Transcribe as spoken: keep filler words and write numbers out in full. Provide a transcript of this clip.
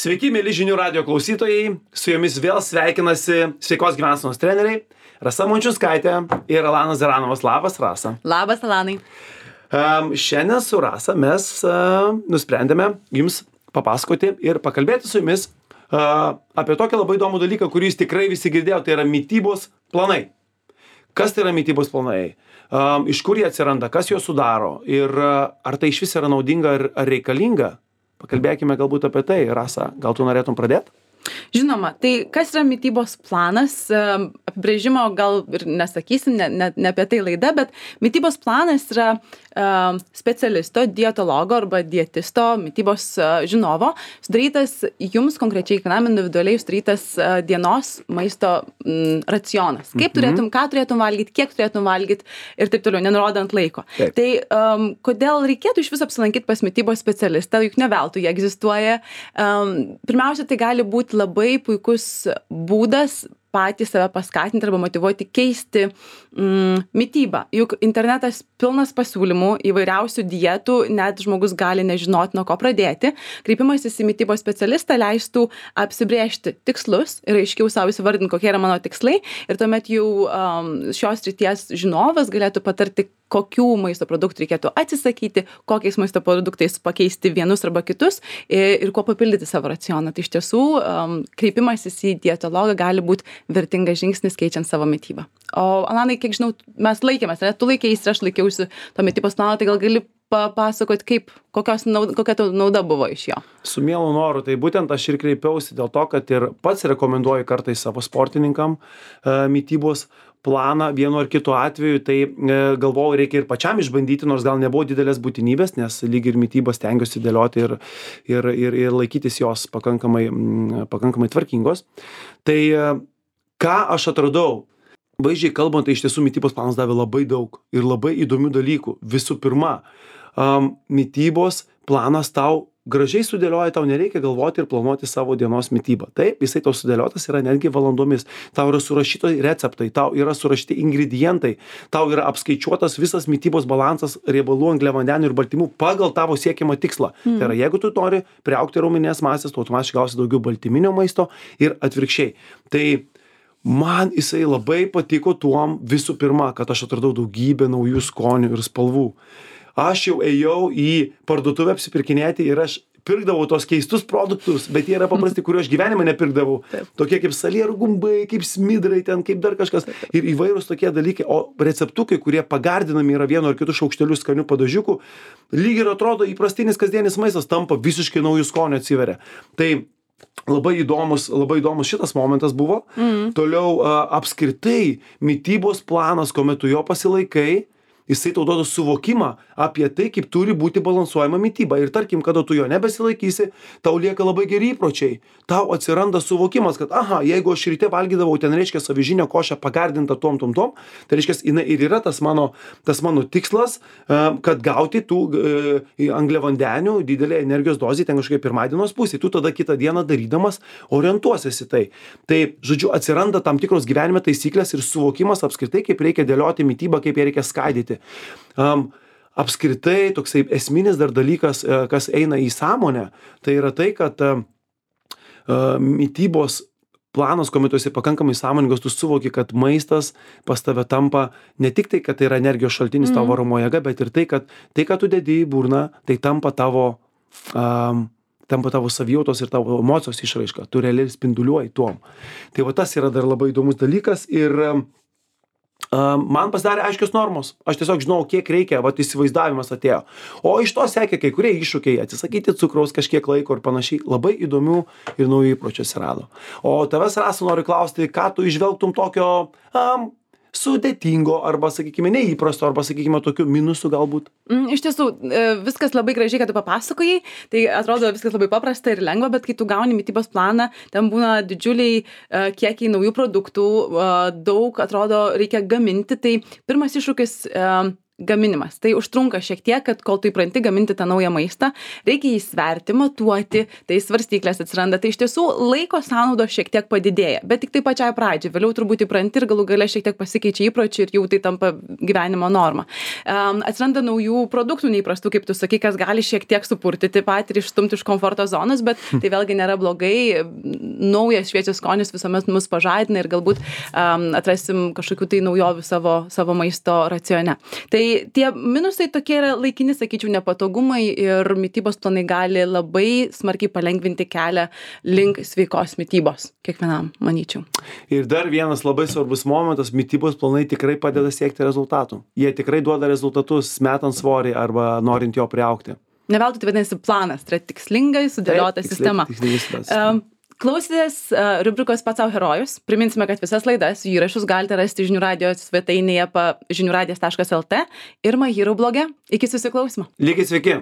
Sveiki, mėly žinių radio klausytojai. Su jumis vėl sveikinasi sveikos gyvensenos treneriai Rasa Mončiunskaitė ir Alanas Zeranovas. Labas, Rasa. Labas, Alanai. Um, šiandien su Rasa mes uh, nusprendėme jums papasakoti ir pakalbėti su jumis uh, apie tokį labai įdomų dalyką, kurį jūs tikrai visi girdėjo, tai yra mitybos planai. Kas tai yra mitybos planai? Um, iš kur jie atsiranda? Kas juos sudaro? Ir uh, ar tai iš vis yra naudinga ar, ar reikalinga? Pakalbėkime galbūt apie tai. Rasa, gal tu norėtum pradėti? Žinoma, tai kas yra mitybos planas? Apibrėžimo gal ir nesakysim, ne, ne, ne apie tai laida, bet mitybos planas yra uh, specialisto, dietologo arba dietisto, mitybos uh, žinovo, sudarytas jums konkrečiai, kiekvienam individualiai sudarytas uh, dienos maisto mm, racionas. Kaip Mhm. turėtum, ką turėtum valgyti, kiek turėtum valgyti ir taip toliau, nenurodant laiko. Taip. Tai um, kodėl reikėtų iš viso apsilankyti pas mitybos specialistą, juk ne veltui jie egzistuoja. Um, pirmiausia, tai gali būti labai puikus būdas patys save paskatinti arba motyvuoti keisti mm, mitybą. Juk internetas pilnas pasiūlymų, įvairiausių dietų, net žmogus gali nežinoti, nuo ko pradėti. Kreipimasis į mitybos specialistą leistų apsibrėžti tikslus ir aiškiau savo įsivardinti, kokie yra mano tikslai. Ir tuomet jau um, šios srities žinovas galėtų patarti, kokių maisto produktų reikėtų atsisakyti, kokiais maisto produktais pakeisti vienus arba kitus ir, ir kuo papildyti savo racioną. Tai iš tiesų um, kreipimasis į dietologą gali būti vertingas žingsnis keičiant savo mitybą. O Alanai, kiek žinau, mes laikėmės, ne? Tu laikėsi ir aš laikiausi to mitybos plano, tai gal gali papasakoti, kaip, kokios nauda, kokia tau nauda buvo iš jo? Su mielu noru, tai būtent aš ir kreipiausi dėl to, kad ir pats rekomenduoju kartais savo sportininkam e, mitybos planą vienu ar kitu atveju, tai e, galvoju, reikia ir pačiam išbandyti, nors gal nebuvo didelės būtinybės, nes lyg ir mitybos stengiuosi dėlioti ir, ir, ir, ir laikytis jos pakankamai, m, pakankamai tvarkingos. Tai e, ką aš atradau? Vaizdžiai kalbant, tai iš tiesų mitybos planas davė labai daug ir labai įdomių dalykų. Visų pirma, um, mitybos planas tau gražiai sudėlioja, tau nereikia galvoti ir planuoti savo dienos mitybą. Taip, jisai tau sudėliotas yra netgi valandomis. Tau yra surašyti receptai, tau yra surašyti ingredientai, tau yra apskaičiuotas visas mitybos balansas riebalų, angliavandenių ir baltymų pagal tavo siekiamą tikslą. Mm. Tai yra, jeigu tu nori priaugti raumeninės masės, tu automatiškai gausi daugiau baltyminio maisto ir atvirkščiai. Tai man jisai labai patiko tuom visų pirma, kad aš atradau daugybę naujų skonių ir spalvų. Aš jau ėjau į parduotuvę apsipirkinėti ir aš pirkdavau tos keistus produktus, bet jie yra paprasti, kuriuo aš gyvenime nepirkdavau. Taip. Tokie kaip salierų gumbai, kaip smidrai, ten kaip dar kažkas. Taip. Ir įvairūs tokie dalykai. O receptukai, kurie pagardinami yra vienu ar kitu šaukšteliu skanių padažiukų, lyg ir atrodo įprastinis kasdienis maistas tampa visiškai naujų skonių atsiveria. Tai Labai įdomus, labai įdomus šitas momentas buvo. Mm. Toliau a, apskritai mitybos planas, kuomet tu jo pasilaikai, jisai tau duoda suvokimą apie tai, kaip turi būti balansuojama mityba. Ir tarkim, kada tu jo nebesilaikysi, tau lieka labai geri įpročiai. Tau atsiranda suvokimas, kad aha, jeigu aš ryte valgydavau ten, reiškia, avižinę košę pagardintą tom, tom, tom, tai reiškia, jinai ir yra tas mano, tas mano tikslas, kad gauti tų angliavandenių didelę energijos dozę ten kažkaip pirmadienos pusėje. Tu tada kitą dieną darydamas orientuosiesi tai. Tai, žodžiu, atsiranda tam tikros gyvenime taisyklės ir suvokimas apskritai, kaip reikia dėlioti mitybą, kaip ją reikia skaidyti. Um, apskritai toksai esminis dar dalykas, kas eina į sąmonę, tai yra tai, kad uh, mitybos planas, kuomet tu esi pakankamai sąmoningas, tu suvoki, kad maistas pas tave tampa ne tik tai, kad tai yra energijos šaltinis mm. tavo varomo jėga, bet ir tai, kad tai, ką tu dedi į burną, tai tampa tavo, um, tampa tavo savijautos ir tavo emocijos išraiška. Tu realiai spinduliuoji tuom. Tai va tas yra dar labai įdomus dalykas ir um, man pasidarė aiškios normos. Aš tiesiog žinau, kiek reikia, vat įsivaizdavimas atėjo. O iš to sekė kai kurie iššūkiai, atsisakyti cukraus kažkiek laiko ir panašiai. Labai įdomių ir naujų įpročių atsirado. O tavęs, Rasa, noriu klausti, ką tu įžvelgtum tokio um, sudėtingo arba, sakykime, neįprasto arba, sakykime, tokių minusų galbūt? Mm, iš tiesų, viskas labai gražiai, kad tu papasakojai. Tai atrodo viskas labai paprasta ir lengva, bet kai tu gauni mitybos planą, ten būna didžiuliai uh, kiekiai naujų produktų, uh, daug, atrodo, reikia gaminti. Tai pirmas iššūkis uh, gaminimas. Tai užtrunka šiek tiek, kad kol tu įpranti gaminti tą naują maistą, reikia jį sverti, matuoti, tai svarstyklės atsiranda. Tai iš tiesų laiko sąnaudos šiek tiek padidėja, bet tik tai pačiai pradžiai. Vėliau turbūt įpranti ir galų gale šiek tiek pasikeičia įpročiai ir jau tai tampa gyvenimo norma. Um, atsiranda naujų produktų neįprastų, kaip tu sakai, kas gali šiek tiek supurtyti patį ir išstumti iš komforto zonos, bet tai vėlgi nėra blogai. Naujas šviežias skonis visuomet mus pažadina ir galbūt um, atrasim kažkokių tai naujovių savo, savo maisto racione. Tai tie minusai tokie yra laikini, sakyčiau, nepatogumai ir mitybos planai gali labai smarkiai palengvinti kelią link sveikos mitybos kiekvienam, manyčiau. Ir dar vienas labai svarbus momentas, mitybos planai tikrai padeda siekti rezultatų. Jie tikrai duoda rezultatus, metant svorį arba norint jo priaugti. Ne veltui tai vadinasi planas, tai yra tikslingai sudėliota Taip, sistema. tikslingai sudėliota Um, sistema. Klausėtės uh, rubrikos Pats sau herojus. Priminsime, kad visas laidas, jų įrašus galite rasti žinių radijos svetainėje pa žinių radijas taškas lt ir My Hero bloge. Iki susiklausimo. Likit sveiki.